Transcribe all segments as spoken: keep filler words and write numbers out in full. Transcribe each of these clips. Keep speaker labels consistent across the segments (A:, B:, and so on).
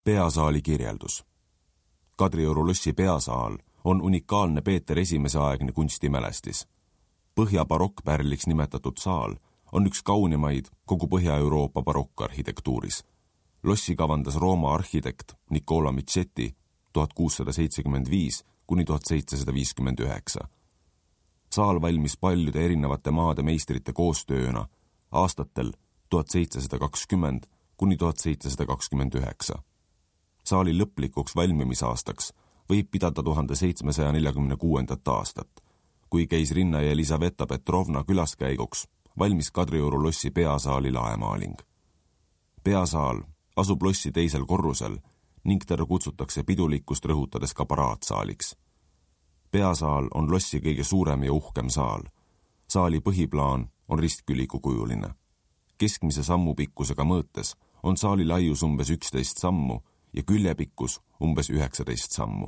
A: Peasaali kirjeldus. Kadrioru lossi peasaal on unikaalne Peeter esimese aegne kunstimälestis. Põhja-barokkpärliks nimetatud saal on üks kaunimaid kogu Põhja-Euroopa barokkarhitektuuris. Lossi kavandas Rooma arhitekt Nicola Michetti tuhat kuussada seitsekümmend viis kuni tuhat seitsesada viiskümmend üheksa. Saal valmis paljude erinevate maade meistrite koostööna aastatel tuhat seitsesada kakskümmend kuni tuhat seitsesada kakskümmend üheksa. Saali lõplikuks valmimisaastaks võib pidada tuhande seitsmesaja neljakümne kuuendat aastat, kui keisrinna ja Elisaveta Petrovna külaskäiguks valmis Kadrioru lossi peasaali laemaaling. Peasaal asub lossi teisel korrusel ning teda kutsutakse pidulikkust rõhutades ka paraatsaaliks. Peasaal on lossi kõige suurem ja uhkem saal. Saali põhiplaan on ristküliku kujuline. Keskmise sammu pikkusega mõõtes on saali laius umbes üksteist sammu ja küljepikkus umbes üheksateist sammu.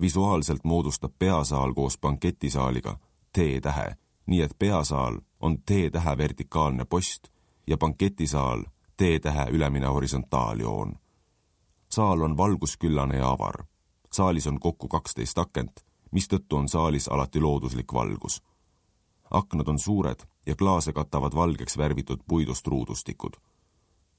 A: Visuaalselt moodustab peasaal koos banketisaaliga T-tähe, nii et peasaal on T-tähe vertikaalne post ja banketisaal T-tähe ülemine horisontaaljoon. Saal on valgusküllane ja avar. Saalis on kokku kaksteist akent, mistõttu on saalis alati looduslik valgus. Aknad on suured ja klaase katavad valgeks värvitud puidust ruudustikud.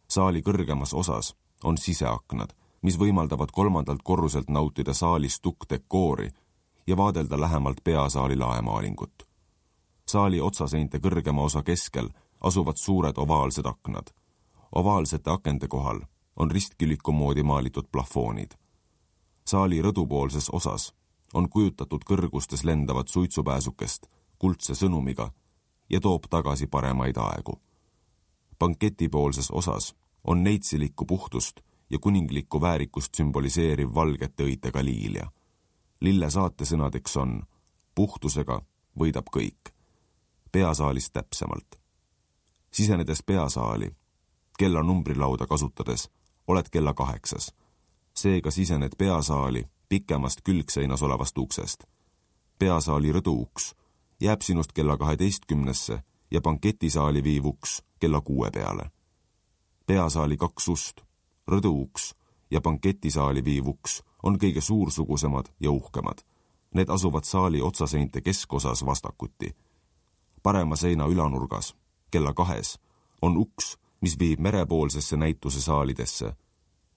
A: Saali kõrgemas osas on siseaknad, mis võimaldavad kolmandalt korruselt nautida saalis tukkdekoori ja vaadelda lähemalt peasaali laemaalingut. Saali otsaseinte kõrgema osa keskel asuvad suured ovaalsed aknad. Ovaalsete akende kohal on ristküliku moodi maalitud plafoonid. Saali rõdupoolses osas on kujutatud kõrgustes lendavat suitsupääsukest kuldse sõnumiga ja toob tagasi paremaid aegu. Banketipoolses osas on neitsilikku puhtust ja kuninglikku väärikust sümboliseeriv valgete õitega liilja. Lille saatesõnadeks on puhtusega võidab kõik. Peasaalis täpsemalt. Sisenedes peasaali, kella numbrilauda kasutades, oled kella kaheksas. Seega sisened peasaali pikemast külgseinas olevast uksest. Peasaali rõduuks jääb sinust kella kaheteistkümnesse ja banketisaali viiv uks kella kuue peale. Peasaali kaks ust, rõduuks ja banketisaali viiv uks on kõige suursugusemad ja uhkemad. Need asuvad saali otsaseinte keskosas vastakuti. Parema seina ülanurgas, kella kahes, on uks, mis viib merepoolsesse näituse saalidesse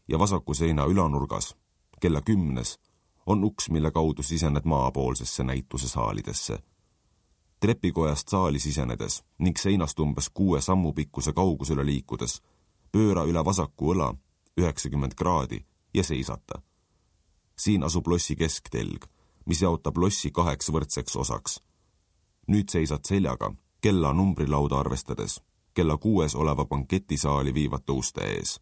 A: ja vasaku seina ülanurgas, kella kümnes, on uks, mille kaudu sisened maapoolsesse näituse saalidesse. Trepikojast saali sisenedes ning seinast umbes kuue sammu pikkuse kaugusele liikudes pööra üle vasaku õla üheksakümmend kraadi ja seisata. Siin asub lossi kesktelg, mis jaotab lossi kaheks võrdseks osaks. Nüüd seisad seljaga kella numbrilauda arvestades kella kuues oleva banketisaali viivate uste ees.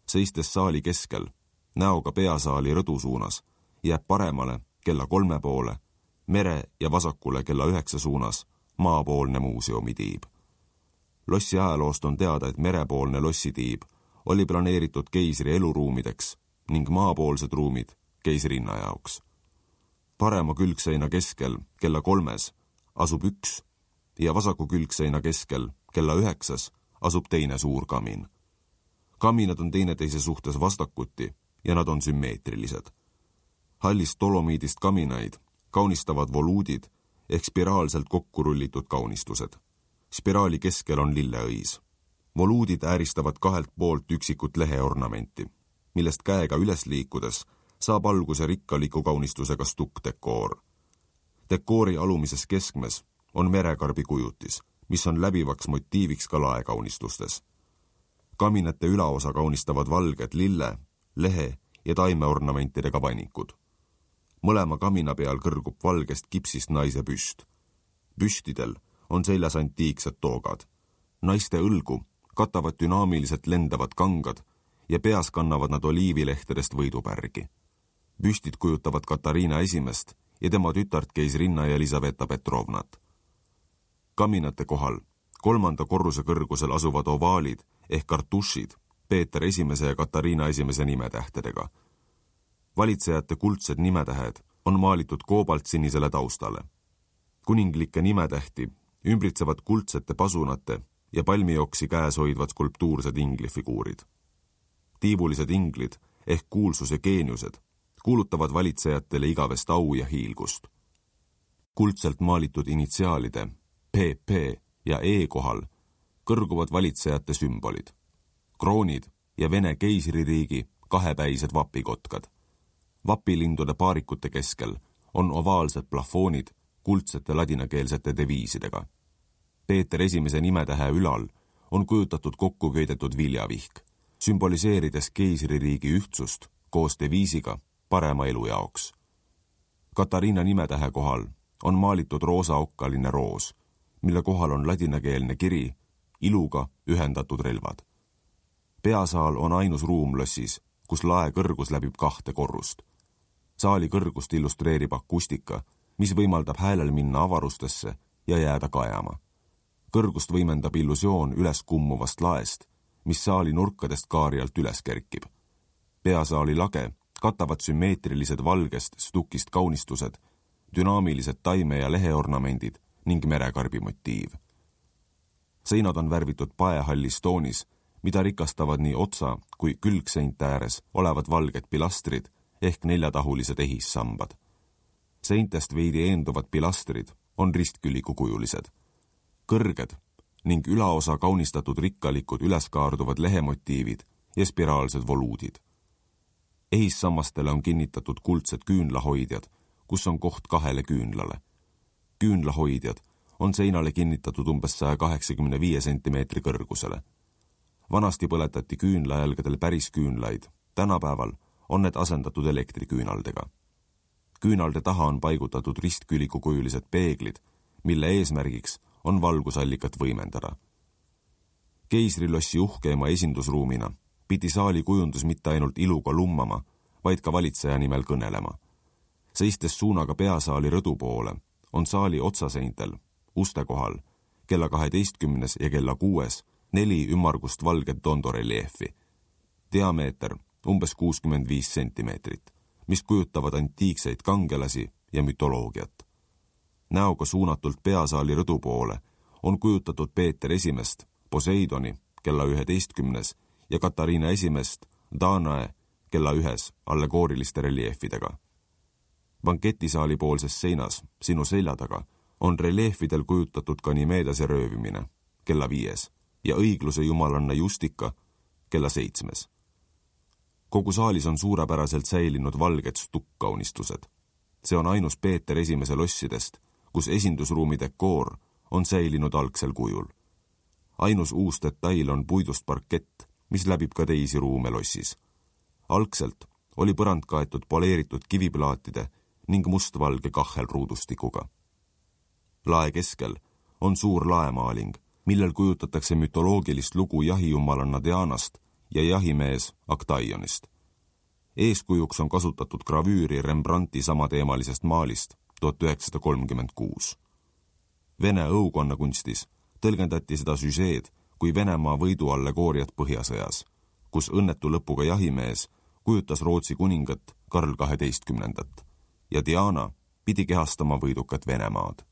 A: Seistes saali keskel, näoga peasaali rõdu suunas, jääb paremale kella kolme poole, mere ja vasakule kella üheksa suunas maapoolne muuseumitiib. Lossi ajaloost on teada, et merepoolne lossitiib oli planeeritud keisri eluruumideks ning maapoolsed ruumid keisrinna jaoks. Parema külgseina keskel kella kolmes asub üks ja vasaku külgseina keskel kella üheksas asub teine suur kamin. Kaminad on teineteise suhtes vastakuti ja nad on sümmeetrilised. Hallist dolomiidist kaminaid kaunistavad voluudid ehk spiraalselt kokku rullitud kaunistused. Spiraali keskel on lilleõis. Voluudid ääristavad kahelt poolt üksikut leheornamenti, millest käega üles liikudes saab alguse rikkaliku kaunistusega stukkdekoor. Dekoori alumises keskmes on merekarbi kujutis, mis on läbivaks motiiviks ka laekaunistustes. Kaminate ülaosa kaunistavad valged lille, lehe ja taimeornamentidega vanikud. Mõlema kamina peal kõrgub valgest kipsist naise püst. Püstidel on seljas antiiksed toogad. Naiste õlgu katavad dünaamiliselt lendavad kangad ja peas kannavad nad oliivilehtedest võidupärgi. Püstid kujutavad Katariina esimest ja tema tütart keisrinna ja Elisaveta Petrovnat. Kaminate kohal kolmanda korruse kõrgusel asuvad ovaalid ehk kartušid Peeter esimese ja Katariina esimese nimetähtedega. Valitsejate kuldsed nimetähed on maalitud koobaltsinisele taustale. Kuninglikke nimetähti ümbritsevad kuldsete pasunate ja palmioksi käes hoidvad skulptuursed inglifiguurid. tiivulised inglid ehk kuulsus ja geeniused kuulutavad valitsejatele igavest au ja hiilgust. Kuldselt maalitud initsiaalide P P ja E kohal kõrguvad valitsejate sümbolid, kroonid ja Vene keisririigi kahepäised vapikotkad. Vapilindude paarikute keskel on ovaalsed plafoonid kuldsete ladinakeelsete deviisidega. Peeter esimese nimetähe ülal on kujutatud kokku köidetud viljavihk, sümboliseerides keisririigi ühtsust koos deviisiga parema elu jaoks. Katariina nimetähe kohal on maalitud roosaokkaline roos, mille kohal on ladinakeelne kiri iluga ühendatud relvad. Peasaal on ainus ruum lossis, kus lae kõrgus läbib kahte korrust. Saali kõrgust illustreerib akustika, mis võimaldab häälel minna avarustesse ja jääda kajama. Kõrgust võimendab illusioon üles kummuvast laest, mis saali nurkadest kaarialt üles kerkib. Peasaali lage katavad sümmeetrilised valgest stukist kaunistused, dünaamilised taime- ja leheornamendid ning merekarbi motiiv. Seinad on värvitud paehallis toonis, mida rikastavad nii otsa kui külgseinte ääres olevad valged pilastrid ehk neljatahulised ehissambad. Seintest veidi eenduvad pilastrid on ristkülikukujulised, kõrged ning ülaosa kaunistatud rikkalikud üleskaarduvad lehemotiivid ja spiraalsed voluudid. Ehissammastele on kinnitatud kuldsed küünlahoidjad, kus on koht kahele küünlale. Küünlahoidjad on seinale kinnitatud umbes saja kaheksakümne viie sentimeetri kõrgusele. Vanasti põletati küünlajälgedel päris küünlaid, tänapäeval on need asendatud elektriküünaldega. Küünalde taha on paigutatud ristkülikukujulised peeglid, mille eesmärgiks on valgusallikat võimendada. Keisrilossi uhkeima esindusruumina pidi saali kujundus mitte ainult iluga lummama, vaid ka valitseja nimel kõnelema. Seistes suunaga peasaali rõdu poole on saali otsaseintel, uste kohal, kella kaheteistkümnes ja kella kuues neli ümmargust valget tondoreliefi. Diameeter umbes kuuskümmend viis sentimeetrit, mis kujutavad antiikseid kangelasi ja mütoloogiat. Näoga suunatult peasaali rõdu poole on kujutatud Peeter esimest, Poseidoni kella üheteistkümnes ja Katariina esimest, Danae kella ühes allegooriliste reliefidega. Banketisaali poolses seinas, sinu selja taga, on reliefidel kujutatud Ganimeedase röövimine kella viies ja õigluse jumalanna Justika kella seitsmes. Kogu saalis on suurepäraselt säilinud valged stukkaunistused. See on ainus Peeter esimese lossidest, kus esindusruumi dekoor on säilinud algsel kujul. Ainus uus detail on puidust parkett, mis läbib ka teisi ruume lossis. Algselt oli põrand kaetud poleeritud kiviplaatide ning mustvalge kahhelruudustikuga. Lae keskel on suur laemaaling, millel kujutatakse mütoloogilist lugu jahijumalanna Dianast ja jahimees Aktaionist. Eeskujuks on kasutatud gravüüri Rembrandti samateemalisest maalist tuhat üheksasada kolmkümmend kuus. Vene õukonnakunstis tõlgendati seda süžeed kui Venemaa võidu allegooriat Põhjasõjas, kus õnnetu lõpuga jahimees kujutas Rootsi kuningat Karl kaheteistkümnendat ja Diana pidi kehastama võidukat Venemaad.